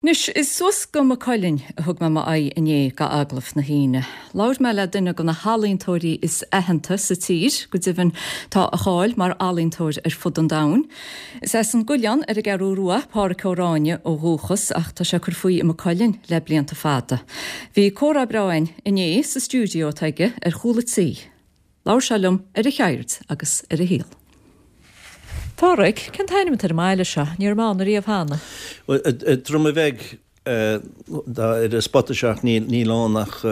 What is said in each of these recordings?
Anois, is suas go Maigh Cuilinn a thug mé m'aghaidh inné go agallamh na hAoine. Labhair mé le duine de na healaíontóirí is aitheanta sa tír, go deimhin tá a cháil mar ealaíontóir ar fud an domhain. Is as an gCoileán ar an gCeathrú Rua Pádhraic Ó Ráinne ó dhúchas ach tá sé ag cur faoi i Maigh Cuilinn le blianta fada. Bhí comhrá breá againn inné sa stiúideo atá aige ar chúl a tí. Labhair sé liom ar a cheird agus ar a shaol. Pádhraic, cén t-ainm atá ar an mbaile seo? Ní raibh mé ann ariamh cheana. Bhuel, Droma Bheag, ar an spota seo ach níl ann ach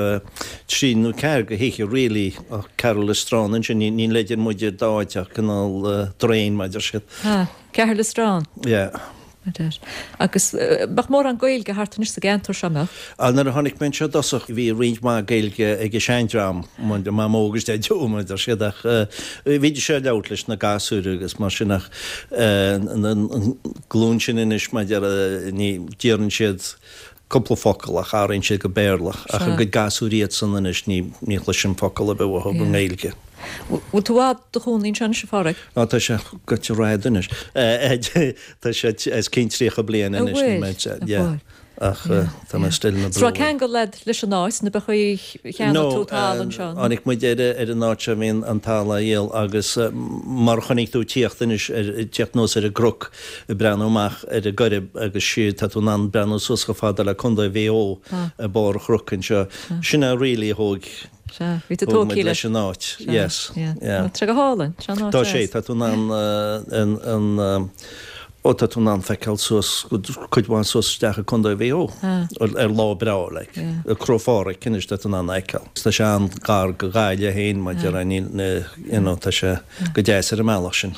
trí nó ceathair de thithe really ach Caherlistrane ansin, níl idir muid ar dá áit ach cineál draein mar a deir siad. Ah, Caherlistrane? Yeah. Agus mbeadh mórán Gaeilge thart anois sa gceantar seo, mbeadh? Á, nuair a tháinig mé anseo i dtosach bhí roinnt mhaith Gaeilge ag an seandream, Mamó agus Daideo mar a deir siad, ach bhídís ag labhairt leis na gasúir agus mar sin ach an glúin sin anois mar a déarfá, ní, deireann siad cúpla focal ach athraíonn siad go Béarla. Ach a gcuid gasúir iadsan anois ní ní chloisim focal ar bith uathu i nGaeilge. Bhfuil tú i bhfad i do chónaí anseo anois a Pháraic? Á tá sé goite rad anois. Tá sé os cionn 30 bliain anois ní mé yeah. Ach tá mé still ina Is raibh ceangal agat leis an áit nó ab é cheannaigh tú talamh anseo? No, tháinig muid ar ar an áit seo bhí an talamh á dhíol agus mar a chonaic tú tíocht anois ar tíocht anuas ar an gcnoc ag breathnú amach ar an gCoirib agus siar, tá tú in ann breathnú suas chomh fada le Contae Mhaigh Eo ag barr an chnoic anseo. Sin é really a thóg Sea, bhí tú tógtha muid leis an áit. Yes, yeah. Tá sé go hálainn, tá an áit Tá sé, tá tú in ann an, ó tá tú in ann feiceáil suas, cuid mhaith suas isteach i Contae Mhaigh Eo ar lá breá, like. Crois Phádraig anois tá tú in ann a fheiceáil. Tá sé an-ghar go Gaillimh féin, mar a déarfá, níl, you know, tá sé go deas ar an mbealach sin.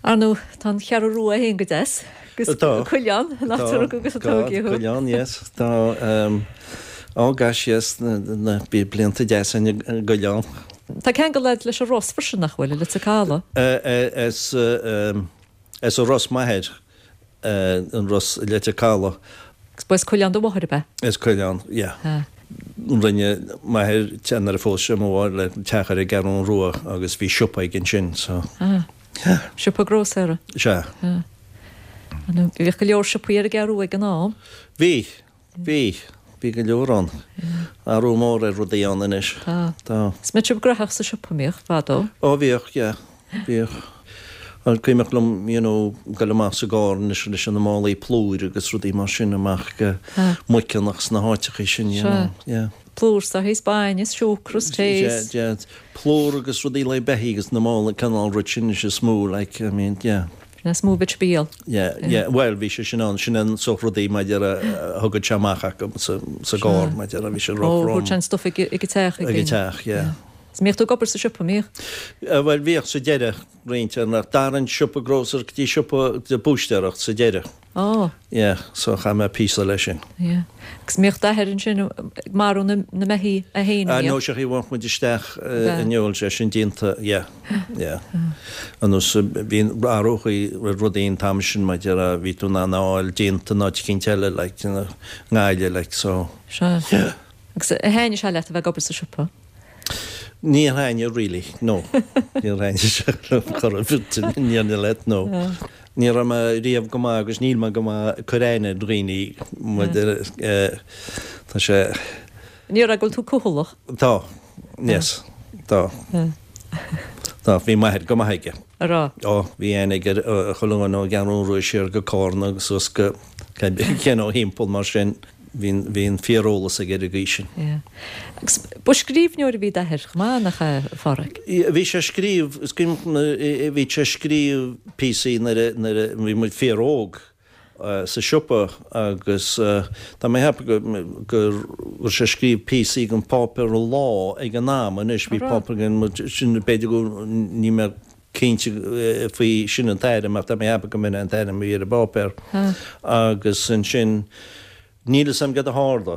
Ar ndóigh, tá an Cheathrú Rua féin go deas, agus Tá. Cuileán, an áit a rugadh agus a tógadh thú. Cuileán, yes. Tá, oh gosh, yes, na, bhí blianta deasa i gCoileán. Tá ceangal agat leis an Ros freisin, nach bhfuil, i Leitir Caladh? As, as an Ros m'athair, an Ros i Leitir Caladh. Agus ba as Cuileán do mháthair, ab ea? As Cuileán, yeah. Rinne m'athair, nuair a phós sé mo mháthair, teach ar an gCeathrú Rua agus bhí siopa aige ansin, so. Ah. Siopa grósaera? Sea. Bhíodh go leor siopaí ar an gCeathrú ag an am. Bhí. Bhí. Bhí go leor ann. Athrú mór ar rudaí ann anois. Tá. Tá. Is mbeadh sibh graitheach sa siopa, mbíodh, fadó? Ó bhíodh, yeah. Bhíodh. Is cuimhneach liom, you know, goil amach sa gcarr anois leis na málaí plúir agus rudaí mar sin amach go Muiceanach sna háiteachaí sin, you know. Yeah. Plúr saghas bainne is siúcra is tae is. Yeah, yeah. Plúr agus rudaí le beithígh agus na málaí cineál rud sin is is mó like, I mean, yeah. Sin is mó a bhí bíol. Yeah, yeah, bhuel bhí sé sin ann, sin an sórt rudaí mar a déarfá a thugadh sé amach acu sa, sa gcarr mar a déarfá, bhí sé Ó, rough rum. thabhairt sé an stuif ag, ag an teach ag. Ag an teach, yeah. Is mbíodh tú ag obair sa siopa, mbíodh? Bhuel bhíodh sa deireadh roinnt, ach d'athraigh an siopa grósaera go dtí siopa de búistéireacht sa deireadh. Ó. Yeah, so chaith mé píosa leis sin. Yeah. Agus mbíodh d'athair ansin ag marú na na mbeithígh é féin, an mbíodh? No, sea, bhainfeadh muid isteach an fheoil, sé sin déanta, yeah, yeah. Anuas, bhí athrú ar rudaí an t-am sin mar a déarfá, bhí tú in ann a fháil déanta in áit eicínt eile, like, you know, i nGaillimh, like, so. Sea. Yeah. Agus ar thaitnigh sé leat a bheith ag obair sa siopa? Níor thaitnigh really, no. Níor thaitnigh sé liom chor ar bith, níor leat, no. Ní raibh mé riamh go maith agus níl mé go maith ag cur aithne ar dhaoine maidir tá sé. Ní raibh, go bhfuil tú cúthalach. Tá, yes, tá. Tá, bhí m'athair go maith aige. A raibh? Ó, bhí aithne aige ar chuile dhuine ón gCeathrú Rua siar go Cárna agus suas go you know thimpeall mar sin. Bhí bhí an fíoreolas aige ar an gcaoi sin. Yeah. Agus ba scríbhneoir a bhí d'athair chomh maith, nach ea, a Pháraic? Bhí sé ag scríobh, is cuimhin bhí sé ag scríobh píosaí nuair a nuair a bhí muid fíor-óg sa siopa agus tá mé ag ceapadh go go raibh sé ag scríobh píosaí don pháipéar An Lá ag an am anois, bhí páipéar againn muid sin b'fhéidir go níl mé cinnte faoi sin an t-ainm ach tá mé ag ceapadh go mb'in é an t-ainm a bhí ar an bpáipéar agus ansin níl fhios a'm céard a tharla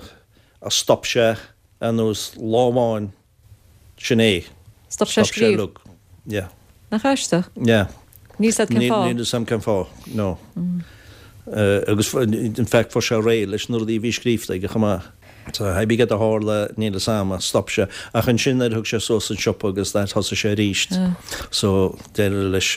ach stop sé anuas lá amháin sin é. Stop sé ag scríobh? Yeah. Nach aisteach? Yeah. Níl fhios a'd cén fáth? Níl fhios a'm cén fáth, no. Agus in fact fuair sé réidh leis na rudaí a bhí scríofa aige chomh maith. So hé bí céard a tharla, níl fhios a'm ach stop sé. Ach ansin nuair a thug sé suas an siopa agus that thosaigh sé arís. So d'éirigh leis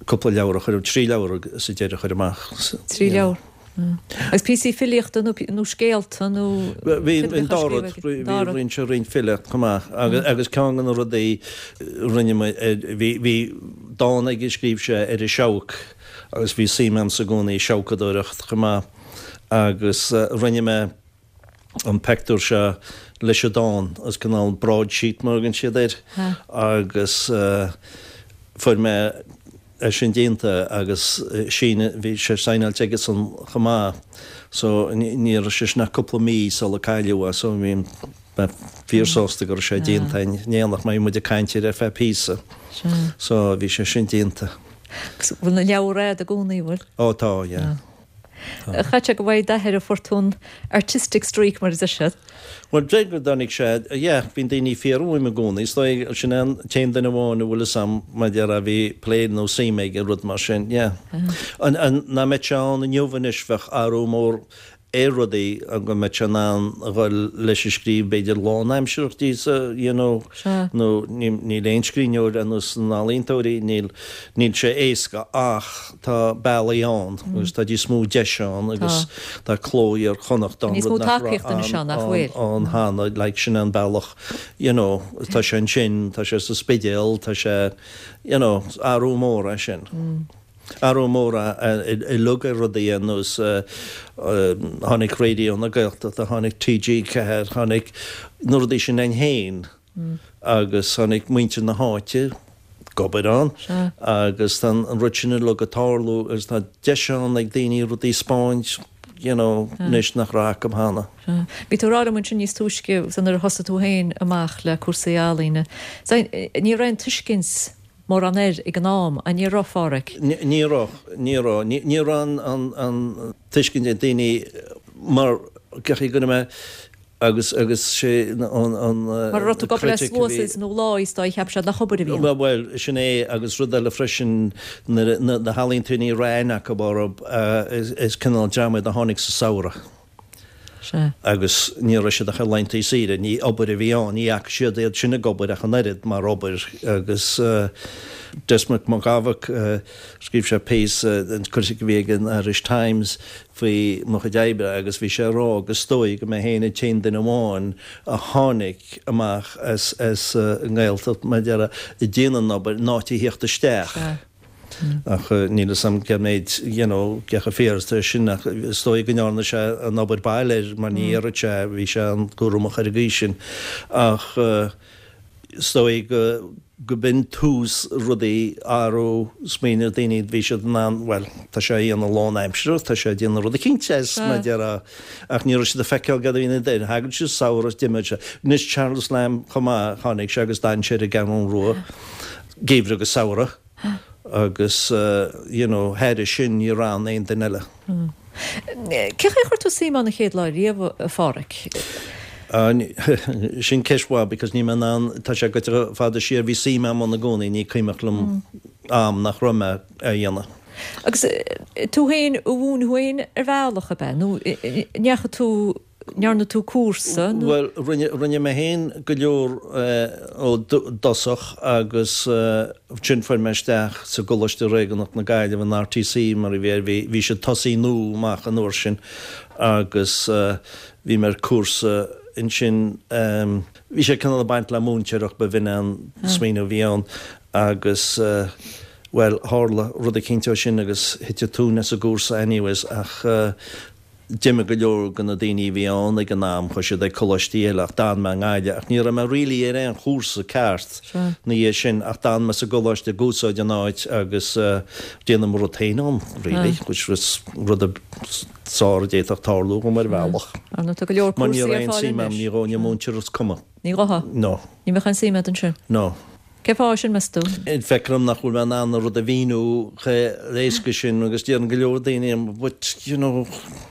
cúpla leabhar a chur, trí leabhar sa deireadh a chur amach. Trí leabhar? Agus píosaí filíochta nó nó scéalta nó Bhí an dá rud, bhí roinnt roinnt filíocht chomh maith agus agus ceann de na rudaí rinne mé bhí bhí dán aige a scríobh sé ar an seabhac agus bhí suim a'msa i gcónaí i seabhcadóireacht chomh maith agus rinne mé an peictiúr seo leis an dán, is cineál broadsheet mar a thugann siad air agus fuair mé é sin déanta agus sín, bhí sé saighneáilte aigesan chomh maith so ní raibh sé sin ach cúpla mí sula cailleadh é so bhí mé fíor sásta go raibh sé déanta in éineacht mar bhí muid ag caint air ar feadh píosa so bhí sé sin déanta. Agus bhfuil na leabhair a'd i gcónaí, bhfuil? Ó tá, yeah. Chaithfeadh sé go bhfaighidh d'athair a fuair tú an artistic streak mar a deir siad. Bhuel, deir go dtáinig sé, yeah, bíonn daoine ag fiafraí uaim i gcónaí, is dóigh, sin é an t-aon duine amháin a bhfuil fhios a'm, mar a déarfá, a bhí plé nó suim aige i rud mar sin, yeah. An, an, ná mbeadh sé ann inniu anois, bheadh athrú mór ar rudaí, go mbeadh sé in ann a dhul leis an scríobh b'fhéidir lánaimsearach díosa, you know, nó níl aon scríbhneoir ar nós na n-ealaíontóirí, níl, níl sé éasca ach tá bealaí ann agus tá níos mó deis ann agus tá Cló Iar-Chonnacht ann, rud nach raibh ann cheana, like sin an bealach, you know, tá sé ansin, tá sé sa Spidéal, tá sé, you know, athrú mór é sin. Athrú mór uilig ar rudaí ar nós tháinig Raidió na Gaeltachta, tháinig TG4, tháinig na rudaí sin ann féin agus tháinig muintir na háite ag obair ann agus tá an rud sin uilig ag tarlú agus tá deis ann ag daoine rudaí a 'speáint you know anois nach raibh acu cheana. Bhí tú ag rá liom ansin níos túisce nuair a thosaigh tú féin amach le cúrsaí ealaíne, ní raibh aon tuiscint mórán air ag an am, an ní raibh, a Pháraic? Ní raibh, ní raibh. Ní raibh an tuiscint ag daoine mar go raibh mé agus agus sé an an Mar a raibh tú ag obair le sluasaid nó láí is dóigh cheap siad nach obair a bhí ann. Bhuel, sin é agus rud eile freisin na na healaíontóirí ní raibh aithne acu orthu is cineál dream iad a tháinig sa samhradh. Sea. Agus ní raibh siad ach ar laethanta saoire, ní obair a bhí ann, ní fhaca siad iad sin ag obair ach an oiread mar obair agus Desmond Mac Gabhac, scríobh sé píosa, an critic a bhí ag an Irish Times faoi mo chuid oibre agus bhí sé ag rá go is dóigh go mé féin an t-aon duine amháin a tháinig amach as as an nGaeltacht mar a déarfá ag déanamh an obair in áit a thíocht isteach. Sea. Ach níl fhios a'm cé méid, you know, cé chomh fíor is atá sin ach is dóigh go ndearna sé an obair baile air mar ní dhéarfadh sé, bhí sé an-cúramach ar an gcaoi sin. Ach is dóigh go, go b'in tús rudaí athrú smaoineamh daoine, bhí siad in ann, bhuel, tá sé a dhéanamh lánaimsearach, tá sé a déanamh rud eicínt as, mar a déarfá, ach ní raibh siad ag feiceáil cad a bhí ina dtaobh. Thagadh siad samhradh is d'imíodh sé. Anois Charles Lamb chomh maith, tháinig sé agus d'fhan sé ar an gCeathrú Rua geimhreadh agus samhradh. agus you know thairis sin ní raibh ann aon duine eile. Cé chaoi a chuir tú suim ann an chéad lá riamh, a Pháraic? Sin ceist mhaith because níl mé in ann, tá sé goite fada siar, bhí suim agam ann i gcónaí, ní cuimhneach liom am nach raibh mé á dhéanamh. Agus tú féin a mhúin thú féin ar bhealach, ab ea? Nó ndeachaigh tú ndearna tú cúrsa nó? Bhuel, rinne, rinne mé féin go leor ó dtosach agus ansin fuair mé isteach sa gColáiste Réigiúnach na Gaillimhe, an RTC mar a bhí air, bhí, bhí siad tosaí amach an uair sin agus bhí mé ar cúrsa ansin, bhí sé cineál ag baint le múinteoireacht, ba bh'in an smaoineamh a bhí ann agus bhuel, tharla rud eicínt ó sin agus thit an tóin as an gcúrsa anyways ach D'imigh go leor de na daoine a bhí ann ag an am, chuaigh siad ag coláistí eile ach d'fhan mé i nGaillimh ach ní raibh mé really ar aon chúrsa ceart ina dhiaidh sin ach d'fhan mé sa gcoláiste ag úsáid an áit agus déanamh mo rud féin ann really which was rud ab fhearr a d'fhéadfadh tarlú dhom ar bhealach. Ar ndóigh tá go leor Mar ní cúrsaí raibh ar aon fáil suim anois. a'm, ní ghabhfainn ag múinteoireacht is cuma. Ní ghabhfá? No. Ní bheadh aon suim a'd ansin? No. Cén fáth sin, meas tú? Feictear dom nach bhfuil mé in ann an rud a mhíniú chomh héasca sin agus deireann go leor daoine but you know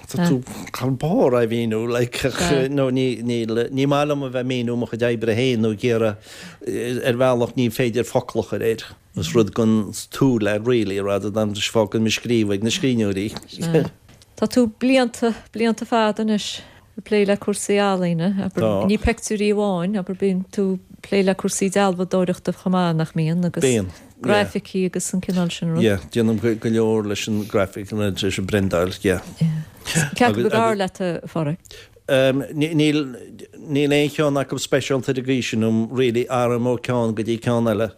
tá tú thar barr á mhíniú like ach no ní níl ní maith liom a bheith ag míniú mo chuid oibre féin nó ag iarraidh ar bhealach ní féidir focal a chur air. Is rud don tsúil é really rather than fágann mé scríobh ag na scríbhneoirí. Tá tú blianta, blianta fada anois. ag plé le cúrsaí ealaíne, abair, Tá. ní peictiúirí amháin, abair, bíonn tú ag plé le cúrsaí dealbhadóireachta chomh maith, nach mbíonn, agus Bíonn. Graificí agus an cineál sin rud. Yeah, déanaim go leor leis an graphic, leis an bpriondáil, yeah. Cé acu ab fhearr leat, a Pháraic? Níl, níl aon cheann acu speisialta ar an gcaoi sin um really, athraím ó ceann go dtí ceann eile.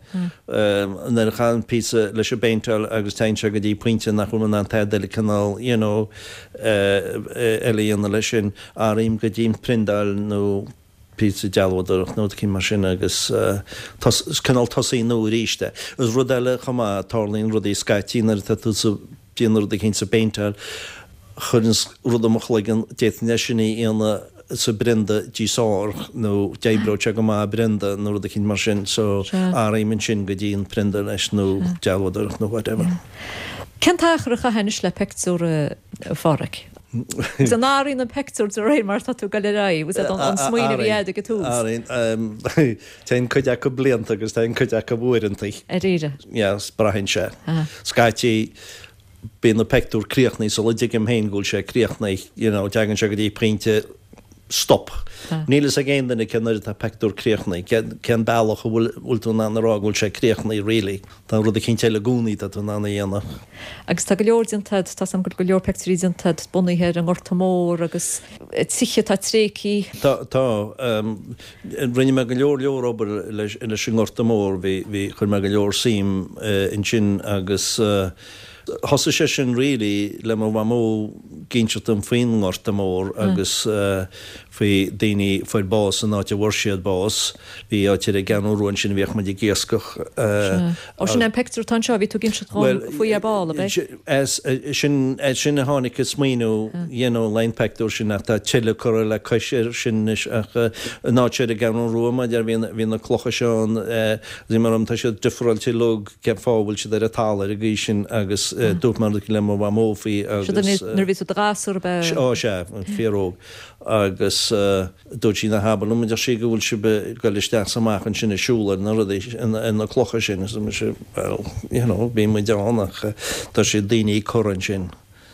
Nuair a chaithim píosa leis an bpéinteáil agus téann sé go dtí pointe nach bhfuil mé in ann tada eile cineál, you know, eile a dhéanamh leis sin, athraím go dtí an priondáil nó píosa dealbhádóireacht nó rud eicínt mar sin agus is cineál tosaí nua arís é. Is rud eile chomh maith, tarlaíonn rudaí scaití nuair atá tú sa, déanamh rud eicínt sa bpéinteáil, chuireanns rud i mo chloigeann, d'fhéadfainn é sin a dhéanamh sa bprionda níos fearr nó d'oibreodh sé go maith i bprionda nó rud eicínt mar sin so athraím ansin go dtí an prionda leis nó dealbhádóireacht nó whatever. Cén t-achar a chaithfeá anois le pictiúr, a Pháraic? Agus an athraíonn an pictiúr de réir mar atá tú ag dul ar aghaidh? Was that an smaoineamh a bhí agat ag an tús? Athraíonn. Téann cuid acu blianta agus téann cuid acu uaireanta. Dáiríre? Yeah, braitheann sé. Scaití bíonn an pictiúr críochnaithe sula dtuigim féin go bhfuil sé críochnaithe, you know, teagann sé go dtí pointe stop. Níl fhios ag aon duine cén uair atá pictiúr críochnaithe, cén bealach a bhfuil tú in ann a rá go bhfuil sé críochnaithe really. Tá rud eicínt eile i gcónaí atá tú in ann a dhéanamh. Agus tá go leor déanta agat, tá 's agam go bhfuil go leor pictiúirí déanta agat bunaithe ar an nGorta Mór agus tithe atá tréigthe. Tá, tá. Rinne mé go leor leor obair leis an nGorta Mór, bhí, bhí, chuir mé go leor suim ansin agus thosaigh sé sin really le mo mhamó ag inseacht dom faoin nGorta Mór agus faoi daoine fuair bás san áit a bhfuair siad bás. Bhí áit ar an gCeathrú Rua ansin a bhíodh muid ag iascach. Ó, sin é an pictiúr atá anseo, bhí tú ag inseacht dhom faoi ar ball, ab é? As sin, as sin a tháinig an smaoineamh, you know, leis an pictiúr sin ach tá tuilleadh curtha le cois air sin anois ach an áit ar an gCeathrú Rua, mar a déarfá, bhí na clocha seo ann, bhí mar tá siad difreáilte uilig, cén fáth a bhfuil siad ar an talamh ar an gcaoi sin agus dúirt mé le mo mhamó faoi agus. Sin nuair a bhí tú i do ghasúr, ab ea? Ó, sea, fíor-óg agus. Dúirt sí ná habair liom, a deir sí, go bhfuil sibh ag goil isteach 's amach ansin ag siúl ar na rudaí, ar na clocha sin. Arsa mise, well, you know, bhí muid ann ach tá siad daoine curtha ansin.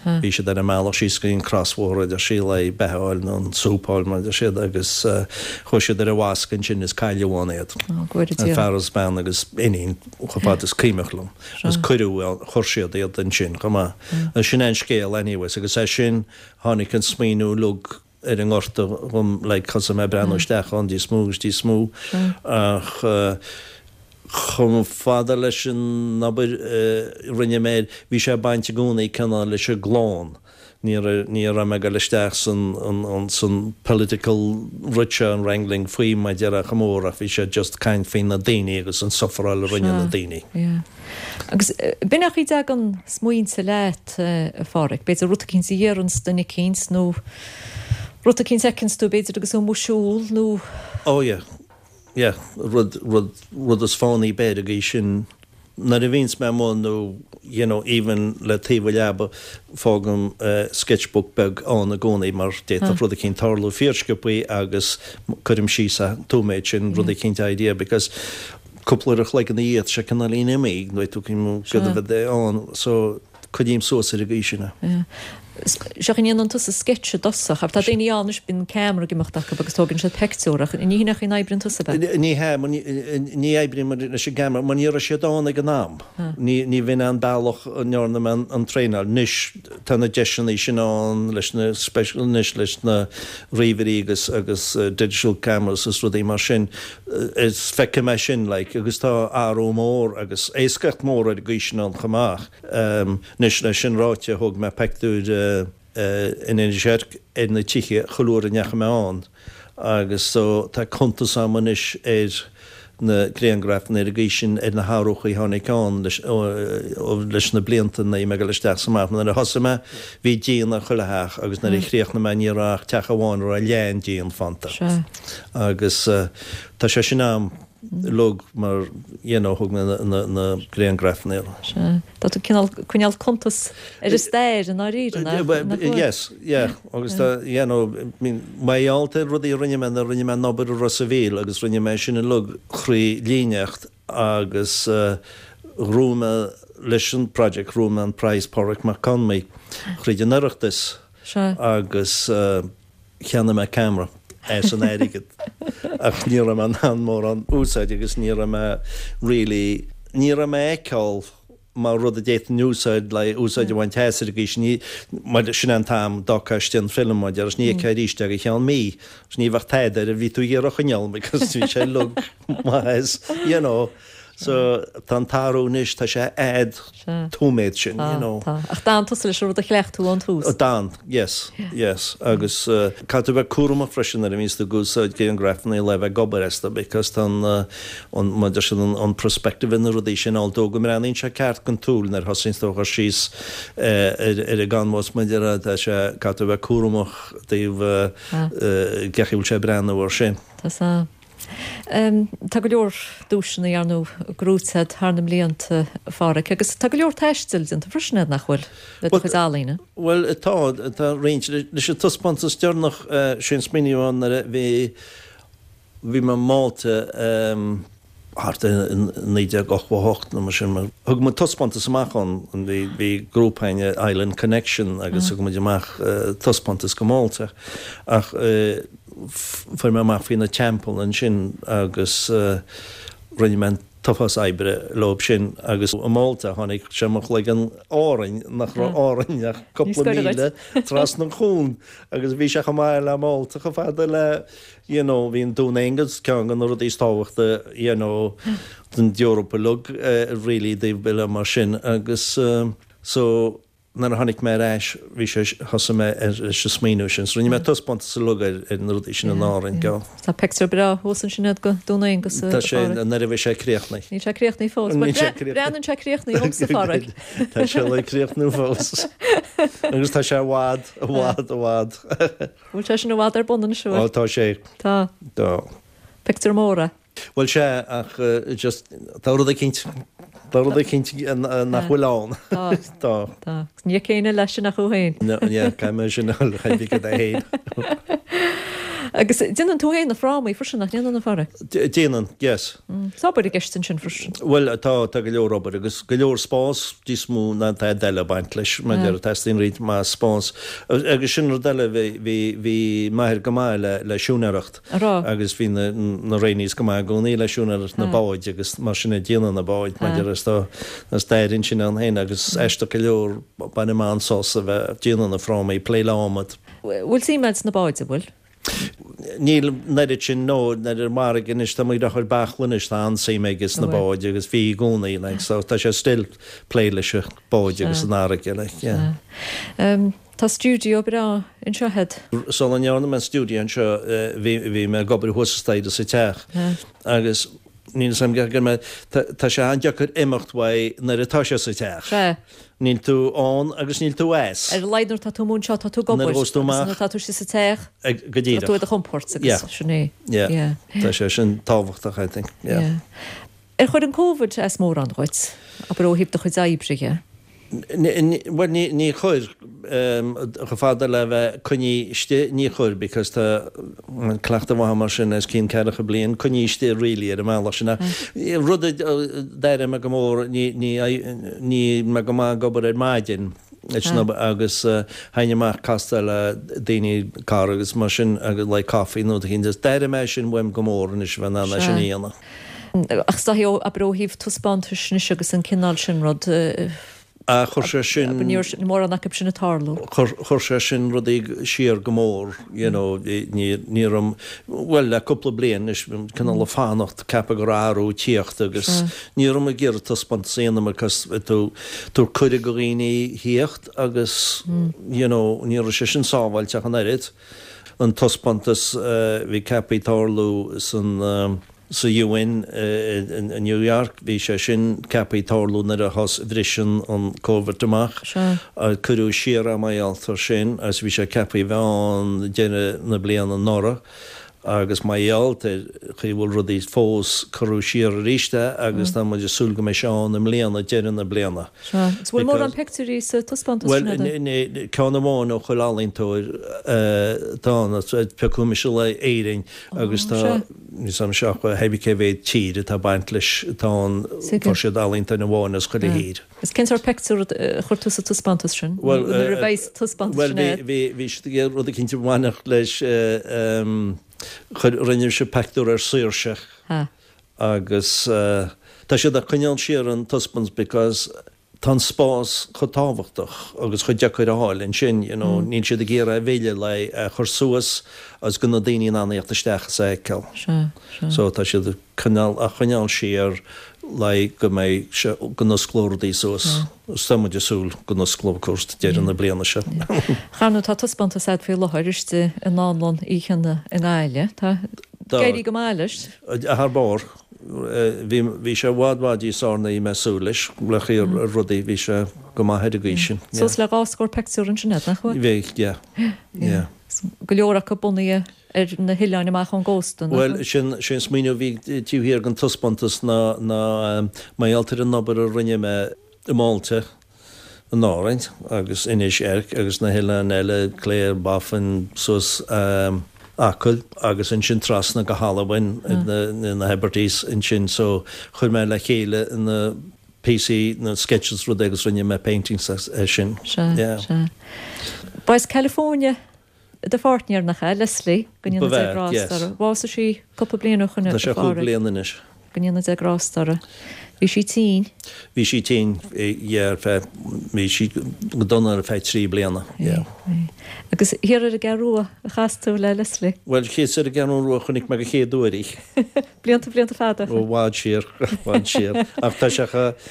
Bhí siad ar a mbealach síos go dtí an crosbhóthar, a deir sí, le beatha a fháil nó an súp a fháil, mar a deir siad, agus chuaigh siad ar an bhfoscadh ansin is cailleadh ann iad. An fear agus bean agus iníon, chomh fada is cuimhneach liom. Agus cuireadh, chuir siad iad ansin chomh maith. Agus sin é an scéal anyways agus as sin tháinig an smaoineamh uilig ar an ngorta dhom like thosaigh mé ag breathnú isteach ann níos mó agus níos mó ach chomh fada leis an obair a rinne mé air bhí sé ag baint i gcónaí cineál leis an gclann. Ní raibh ní raibh mé ag dul isteach san an san political rud seo an wrangling faoi mar a déarfá chomh mór ach bhí sé just caint faoi na daoine agus an sufferáil a rinne na daoine. Yeah. Agus b'in é an chaoi a dtagann smaointe leat, a Pháraic, b'fhéidir rud eicínt a dhéaranns duine eicínt nó rud eicínt a fheiceanns tú b'fhéidir agus tú amuigh ag siúl nó. Oh yeah, yeah, rud, rud, rud is fánaí b'fhéidir go sin nuair a bhíonns mé amuigh nó you know even le taobh an leaba fágaim sketchbook beag ann i gcónaí mar d'fhéadfadh rud eicínt tarlú fíorsciobthaí agus cuirim síos an nóiméad sin rud eicínt idea because cúpla uair a chloig ina dhiaidh, tá sé cineáilín imithe, nó tú céard a bheadh ann, so coinním suas ar an gcaoi sin é. Sea, an ndéanann tusa sketch i dtosach, ach tá daoine ann anois, bíonn ceamara ag imeacht acu agus tógann siad peictiúr, ach ní hin é an chaoi a n-oibríonn tusa, ab ea? Ní hea, ní oibrím leis an gceamara, mar ní raibh siad ann ag an am. Ní bhíonn an bealach a ndearna mé an traenáil. Anois tá na deiseanna sin ann leis na special, anois leis na ríomhairí agus agus digital cameras is rudaí mar sin. Is feicfidh mé sin like agus tá athrú mór agus éascaíocht mór ar an gcaoi sin ann chomh maith. Anois leis sin ráite thóg mé peictiúir in Inis Oirc ar na tithe chuile uair a ndeachaigh mé ann agus so tá cuntas a'm anois ar na grianghrafanna ar an gcaoi sin ar na hathruchaí a tháinig ann leis na blianta nuair a bhí mé ag dul isteach 's amach. Nuair a thosaigh mé bhí díon ar chuile theach agus nuair a chríochnaigh mé ní raibh ach teach amháin a raibh leath an díon fanta. Agus tá sé sin a'm uilig mar you know thóg mé na grianghrafanna. Sea. Tá tú cineál coinneáil cuntas ar an stair i ndáiríre, nach bhfuil? Yes, yeah. Agus tá, you know, mar gheall ar rudaí a rinne mé nuair a rinne mé an obair i Ros a' Mhíl agus rinne mé sin uilig thrí líníocht agus ghnóthaigh mé leis an project, ghnóthaigh mé an Prize Pádraig Mac Con Midhe thríd an Oireachtas agus cheannaigh mé camera as an airgead ach ní raibh mé in ann mórán úsáid agus ní raibh mé really. ní raibh mé á fheiceáil mar rud a d'fhéadfainn úsáid le úsáid a bhaint as ar an gcaoi sin. Ní, mar sin é an t-am d'fhágfá istigh an film mar deir, ní fheicfeá arís é go ceann mí. Agus ní bheadh tada air a bhí tú ag iarraidh a choinneáil because bhí sé uilig maith as, you know. So tá an t-athrú anois, tá sé fhad tóiméad sin, you know. Tá, tá. Ach d'fhan tusa leis an rud a chleacht tú ón tús. D'fhan, yes, yes. Agus caithfidh tú bheith cúramach freisin nuair a bhíonns tú ag úsáid grianghrafanna le bheith ag obair astu because tá an, an, mar deir siad, an perspective ar na rudaí sin, although go mbreathnaíonn sé ceart don tsúil nuair a thosaíonns tú a chur síos ar ar an gcanbhás, mar deir, tá sé, caithfidh tú bheith cúramach i dtaobh cén chaoi a bhfuil sé ag breathnú air sin. Tá sea. Tá go leor duaiseanna ar ndóigh gnóthaithe agat thar na mblianta, a Pháraic, agus tá go leor taistil déanta freisin agat, nach bhfuil, le do chuid ealaíne? Bhuel, tá, tá roinnt. Leis an taispeántas deireanach, sé an smaoineamh ann nuair a bhí, bhí mé i Málta thart ar 1988 nó mar sin. Thug muid taispeántas amach ann, bhí, bhí grúpa againn, Island Connection, agus thug muid amach taispeántas go Málta. Ach fuair mé amach faoi na teampaill ansin agus rinne mé an t-uafás oibre leob sin agus i Málta tháinig sé mo chloigeann Árainn, nach raibh Árainn ach cúpla míle trasna an chuain agus bhí sé chomh maith le Málta chomh fada le you know bhí an Dún Aengus ceann de na rudaí is tábhachta you know don Eoraip uilig really i dtaobh uile mar sin agus so Nuair a tháinig mé ar ais, bhí sé, thosaigh mé ar leis an smaoineamh sin. So rinne mé taispeántas uilig ar ar na rudaí sin in Árainn, go. Tá pictiúr breá thuas ansin agat de Dún Aengus, a Tá sé, nuair a bheidh sé críochnaithe. Níl sé críochnaithe fós. Níl sé críochnaithe. Breathnaíonn sé críochnaithe dhomsa, a Pháraic. Tá sé le críochnú fós. Agus tá sé i bhfad, i bhfad, i bhfad. Bhfuil sé sin i bhfad ar bun anois, an bhfuil? Ó, tá sé. Tá. Tá. Pictiúr mór é. Bhuel sea, ach just, tá rud eicínt, tá rud eicínt nach bhfuil ann. Tá. Tá. Tá. Agus ní fheiceann éinne leis sin ach thú féin. No, yeah, caithfidh mé sin a choinneáil dom féin. Agus déanann tú féin na frámaí freisin, nach ndéanann, a Pháraic? Déanann, yes. Tá obair i gceist ansin freisin. Bhuel, tá, tá go leor obair agus go leor spás níos mó ná tada eile ag baint leis, mar deir, teastaíonn roinnt mhaith spás. Agus sin rud eile, bhí, bhí, bhí m'athair go maith le, le siúinéireacht. An raibh? Agus bhí na na Raonaís go maith i gcónaí le siúinéireacht na báid agus mar sin ag déanamh na báid mar deir is tá tá stair ansin ann féin agus aisteach go leor bainim an-sásamh a bheith ag déanamh na frámaí, plé le adhmad. Bhfuil suim agat sna báid, an bhfuil? Níl an oiread sin, no, nuair ar an bhfarraige anois tá muid ag cur bachall anois tá an-suim aige sna báid agus bhí i gcónaí like so tá sé still plé leis na báid agus an fharraige like yeah. Tá stiúideo breá anseo agat. Sula ndearna mé an stiúideo anseo bhí bhí mé ag obair thuas an staighre sa teach agus níl 'fhios a'm go mé tá sé an-deacair imeacht uaidh nuair atá sé sa teach. Sea. Níl tú ann agus níl tú as. Ar a laghad nuair atá tú amuigh anseo tá tú ag obair. Nuair a ghabhas tú amach. Agus nuair atá tú istigh sa teach. Go díreach. Tá tú i do chompord agus sin é. Yeah. Yeah. Tá sé sin tábhachtach I think. Yeah. Yeah. Ar chuir an Covid as mórán dhuit, abair ó thaobh do chuid oibre dhe? Bhuel, ní chuir. Chomh fada le bheith coinnithe istigh, ní chuir because tá cleachtadh mhaith mar sin os cionn ceathracha bliain, coinnithe istigh really ar an mbealach sin. Ach rud a d'airigh mé go mór, níl mé go maith ag obair ar maidin agus théinn amach castáil le daoine, cara agus mar sin agus like coffee nó rud éicint. D'airigh mé sin uaim go mór anois a bheith in ann é sin a dhéanamh. Ach is dóichí, abair ó thaobh taispeántais anois agus an cineál sin rud, Ah, chuir sé sin. Abair ní raibh mórán acu sin ag tarlú. Chuir, chuir sé sin rudaí siar go mór, you know, ní, ní raibh, bhuel, le cúpla bliain anois, cineál ag fanacht, ceapadh go raibh athrú ag tíocht agus ní raibh mé ag iarraidh taispeántas a dhéanamh because tú, tabhairt cuireadh do dhaoine thíocht agus, you know, ní raibh sé sin sábháilte ach an oiread. An taispeántas a bhí ceaptha tarlú san, sa UN i New York, bhí sé sin ceaptha tarlú nuair a thos, bhris an Covid amach. Cuireadh siar é mar gheall air sin agus bhí sé ceaptha a bheith ann deireadh na bliana anuraidh agus mar gheall ar chaoi a bhfuil rudaí fós, cuireadh siar arís é agus tá muid ag súil go mbeidh sé ann i mbliana, deireadh na bliana. Sea. Agus bhfuil mórán pictiúirí sa taispeántas sin agat? Bhuel, ceann amháin ó chuile ealaíontóir atá ann, piocadh mise le Éirinn agus tá, níl 's a'm ach thébí cé mhéad tír atá ag baint leis atá ann, fuair siad ealaíontóir amháin as chuile thír. Agus cén sórt pictiúr a chuir tú sa taispeántas sin? Bhuel, Nuair a bheidh sa taispeántas sin agat? Bhuel, bhí, bhí siad ag iarraidh rud eicínt a bhainfeadh leis, chuir, rinne mise pictiúr ar saoirse. Ha. Agus. Tá siad ag coinneáil siar an taispeántas because tá an spás chomh tábhachtach agus chomh deacair a fháil ansin, you know, níl siad ag iarraidh a mhilleadh le é a chur suas agus go na daoine in ann a theacht isteach is a fheiceáil. Sea, sea. So tá siad ag coinneáil, á choinneáil siar le go mbeidh sé, go n-osclóidh rudaí suas. Is tá muid ag súil go n-osclóidh, of course, deireadh na bliana seo. Ar ndóigh, tá taispeántas a'd faoi láthair istigh i nDánlann Uí Chionnaith i nGaillimh. Tá ag éirí go maith leis. Thar barr. Bhí, bhí sé i bhfad, bhfad níos fearr ná bhí mé ag súil leis, le chaoi ar rudaí, bhí sé go maith ar an gcaoi sin. Suas le 20 peictiúr ansin a'd, nach bhfuil? Bhí, yeah, yeah. Go leor acu bunaithe ar na hoileáin amach ón gcósta, nach Bhuel, sin, sé an smaoineamh a bhí taobh thiar den taispeántas ná, ná mar gheall ar an obair a rinne mé i Málta, in Árainn agus Inis Oirc agus na hoileáin eile, Cléire, Baffin, suas Acaill agus ansin trasna go hAlbain na Hebrides ansin so chuir mé le chéile na píosaí, na sketches rud agus rinne mé paintings as sin. Sea, sea. Ba as California Do pháirtnéir, nach ea, Leslie, go ndéana Dia grásta uirthi. Bhásaigh sí cúpla bliain ó shoin Tá sé chúpla bliain anois. Go ndéana Dia grásta uirthi. Bhí sí tinn. Bhí sí tinn, yeah, ar feadh, bhí sí go dona ar feadh 3 bliana, yeah. Agus thiar ar an gCeathrú Rua a chas tú le Leslie? Bhuel, thíos ar an gCeathrú Rua a chonaic mé go chéad uair í. Blianta, blianta fada. Ó, i bhfad siar, i bhfad siar. Ach tá sé chomh,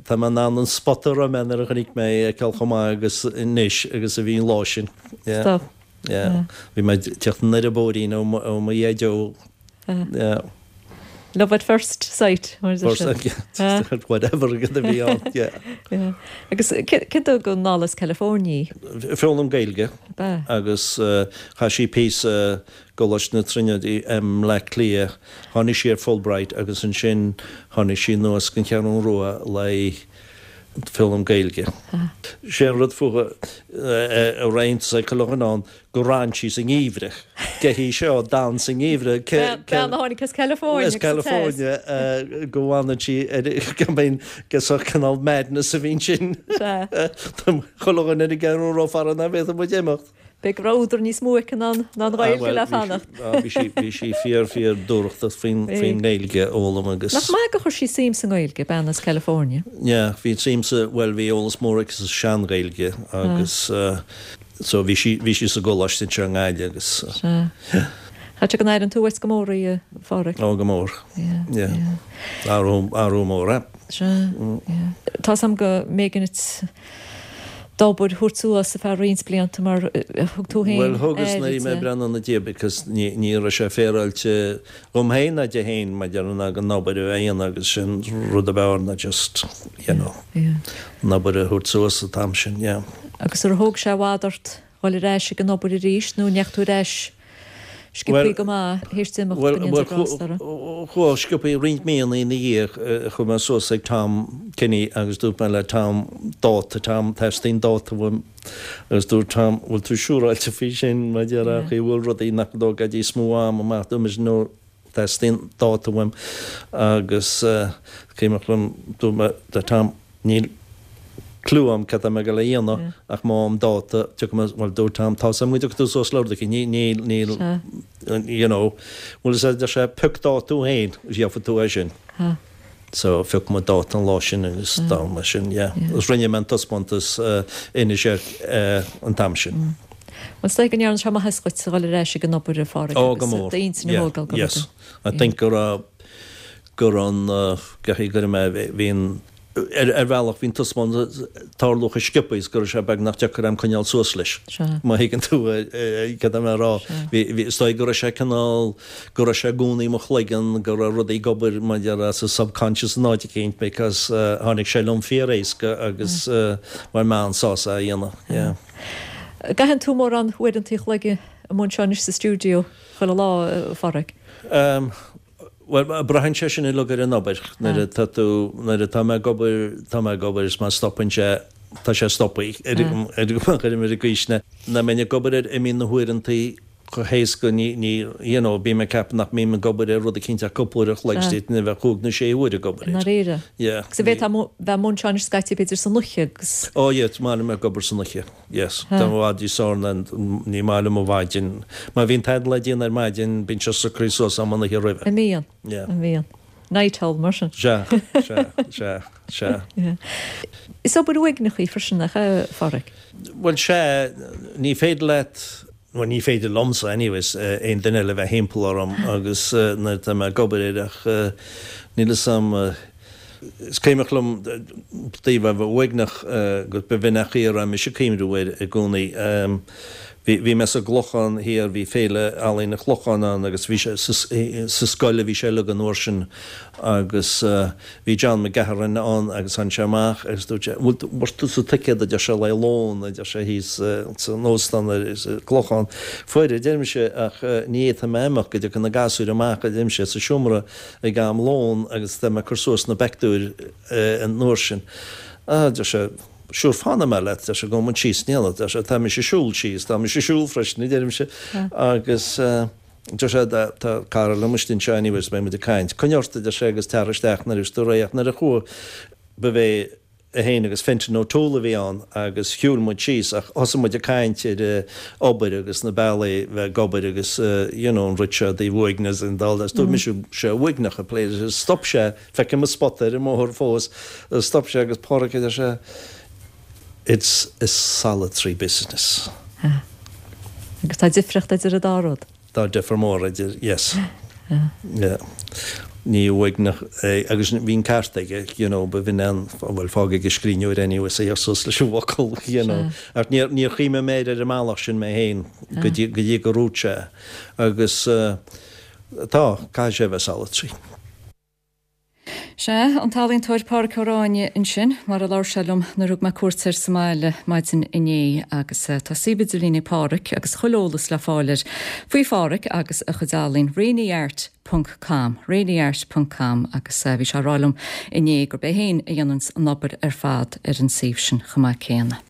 tá mé in ann an spot a raibh mé nuair a chonaic mé í a fheiceáil chomh maith agus anois agus a bhí an lá sin. Yeah. Stop. Yeah. Bhí mé ag teacht anoir an bóithrín ó ó mo dhaideo. Yeah. Love at first sight, mar a deir siad. First, whatever a bhí ann, yeah. Yeah. Agus cé thug anall as California í? Foghlaim Gaeilge. Ab ea? Agus chaith sí píosa i gColáiste na Tríonóide i mBleá Cliath. Tháinig sí ar Fulbright agus ansin tháinig sí anuas go Ceathrún Rua le foghlaim Gaeilge. Sé an rud fúithi a roinnt ag chuile dhuine ann gur fhan sí sa ngeimhreadh. Cé hí seo a d'fhan sa ngeimhreadh? Bean a tháinig as California As California go bhfanann sí ar go mbíonn sórt cineál madness a bhíonn sin. Chuile dhuine ar an gCeathrú Rua fara nach bhféadfadh muid imeacht. B'fhéidir go raibh údar níos mó aici ná an Ghaeilge le fanacht. Bhí sí, bhí sí fíor, fíor dúthrachtach faoin, faoin nGaeilge a fhoghlaim agus. Nach maith gur chuir sí suim sa nGaeilge, bean as California? Yeah, bhí suim sa, bhuel bhí eolas mór aici sa sean-Ghaeilge agus so bhí sí, bhí sí sa gcoláiste anseo i nGaillimh agus. Sea. Chaithfeadh sé go n-airíonn tú uait go mór í, a Pháraic. Ó, go mór. Yeah, yeah. Athrú, athrú mór, eh? Sea, yeah. Tá's a'm go mb'éigean duit d'obair a thabhairt suas ar feadh roinnt blianta mar thug tú féin Bhuel, thugas nuair a bhí mé ag breathnú ina diaidh because ní, ní raibh sé féaráilte dhom féin ná di féin maidir ná an obair a bheith á dhéanamh agus sin rud ab fhearr ná just, you know, an obair a thabhairt suas an t-am sin, yeah. Agus ar thóg sé i bhfad ort dhul ar ais ag an obair arís nó an ndeachaigh tú ar ais sciobthaí go maith théis di imeacht, go ndéana Dia grásta uirthi? Bhuel, sciobthaí, roinnt míonna ina dhiaidh chuaigh mé suas ag Tom Kenny agus dúirt mé le Tom dáta, Tom, teastaíonn dáta uaim agus dúirt Tom, bhfuil tú siúráilte faoi sin, mar a déarfá, an bhfuil rudaí nach dtógfaidh níos mó ama amach, dúirt mise no, Teastaíonn dáta uaim agus cuimhneach liom, dúirt mé le Tom, níl clue agam cad tá mé ag dul a dhéanamh ach má fhaighim dáta, tiocfaidh mé, bhuel dúirt Tom, tá's agam go dtiocfaidh tú suas le rud éicint, ní, níl, níl, you know, bhuel is deir sé, pioc dáta tú féin agus gheobhaidh tú é sin. So phioc muid dáta an lá sin agus dá mar sin, yeah. Agus rinne mé an taispeántas Inis Oirc an t-am sin. Bhuel, is dóigh go ndearna sé maitheas dhuit a dhul ar ais ag an obair, a Pháraic, Oh, go mór. agus d'intinn a Yeah, thógáil go yes. I think go raibh, go raibh an, go raibh mé, bhí an, ar, ar bhealach bhí an taispeántas ag tarlú chomh sciobtha is go raibh sé beagnach deacair a'm coinneáil suas leis. Sea. Má thuigeann tú cad tá mé a rá. Sea. Bhí, bhí, is dóigh go raibh sé cineál, go raibh sé i gcónaí i mo chloigeann, go raibh rudaí ag obair mar a déarfá sa subconscious in áit eicínt because tháinig sé liom fíor éasca agus bhain mé an-sásamh as a dhéanamh. Yeah. An gcaitheann tú mórán uaireanta an chloig amuigh anseo anois sa stiúideo chuile lá, a Pháraic? Bhuel, braitheann sé sin uilig ar an obair. Nuair atá tú, nuair atá mé ag obair, tá mé ag obair is má stopann sé, tá sé stoptha ar ar ar an gcaoi sin. Nuair a bhím ag obair air, imíonn na huaireantaí chomh héasca, ní, ní, you know, bím ag ceapadh nach mbím ag obair ar rud eicínt ach cúpla uair a chloig, is d'fhéadfainn a bheith cúig nó sé huaire ag obair air. I ndáiríre? Yeah. Agus an bhféadfá bheith amuigh anseo anois scaití b'fhéidir san oíche agus. Oh yeah, is maith liom ag obair san oíche. Yes. Tá i bhfad níos fearr ná, ní maith liom an mhaidin. Má bhíonn tada le déanamh ar maidin, bíonn sé socraithe suas agam an oíche roimhe. An mbíonn? Yeah. An mbíonn? Night owl mar sin. Sea, sea, sea, sea. Is obair uaigneach í freisin, nach ea, a Pháraic? Bhuel, sea, ní féidir leat, bhuel, ní féidir liomsa anyways, aon duine eile bheith thimpeall orm agus nuair atá mé ag obair air ach níl fhios a'm, is cuimhneach liom taobh a bheith uaigneach agus b'in an chaoi a raibh mise ag cuimhniú air i gcónaí. Bhí, bhí mé sa gClochán Thiar, bhí Féile Ealaíon an Chlocháin ann agus bhí sé sa scoil a bhí sé uilig an uair sin agus bhí John McGahern ann agus tháinig sé amach agus dúirt sé, bhfuil tú, bhfuair tusa ticéad a deir sé le lón a deir sé thíos san óstán sa gClochán. Fuair a deir mise ach ní fhéadfaidh mé imeacht go dtiocfaidh na gasúir amach a deir mise sa seomra ag am lón agus tá mé ag cur suas na bpictiúr an uair sin. Ah, deir sé, sure fanfaidh mé leat, deir sé, gabhfaidh muid síos in éineacht, deir sé, tá mise ag siúl síos, tá mise ag siúl freisin, a deirimse, agus deir sé, tá cara liom istigh anseo anyways, beidh muid ag caint. Coinnigh ort, a deir sé, agus tar isteach nuair a bheas tú réidh, ach nuair a chuaigh, ba é é féin agus Fintan O'Toole a bhí ann agus shiúil muid síos ach thosaigh muid ag caint ar obair agus na bealaí bheith ag obair agus you know an rud seo i dtaobh uaigneas and all that. Dúirt mise sé uaigneach a plé stop sé feicim an spota ar an mbóthar fós stop sé agus Pádraic a deir sé it's a solitary business. Agus tá difríocht idir an dá rud. Tá difear mór idir, yes. Yeah. Ní uaigneach é, agus bhí an ceart aige, you know, ba bhinn an, bhuel, fág ag an scríbhneoir anyways a suas leis an bhfocal, you know. Ach níor, níor chuimhnigh mé air ar an mbealach sin mé féin go dtí, go dtí gur dhúirt sé. Agus tá, caithfidh sé a bheith solitary. Sea, an t-ealaíontóir Pádhraic Ó Ráinne ansin, mar a labhair sé liom nuair a thug mé cuairt air sa mbaile maidin inné. Agus tá suíomh idirlín ag Pádhraic agus chuile eolas le fáil air faoi Phádhraic agus a chuid ealaín, raineyart ponc com, raineyart ponc com, agus bhí sé ag rá liom inné gurb é féin a dhéananns an obair ar fad ar an suíomh sin chomh maith céanna.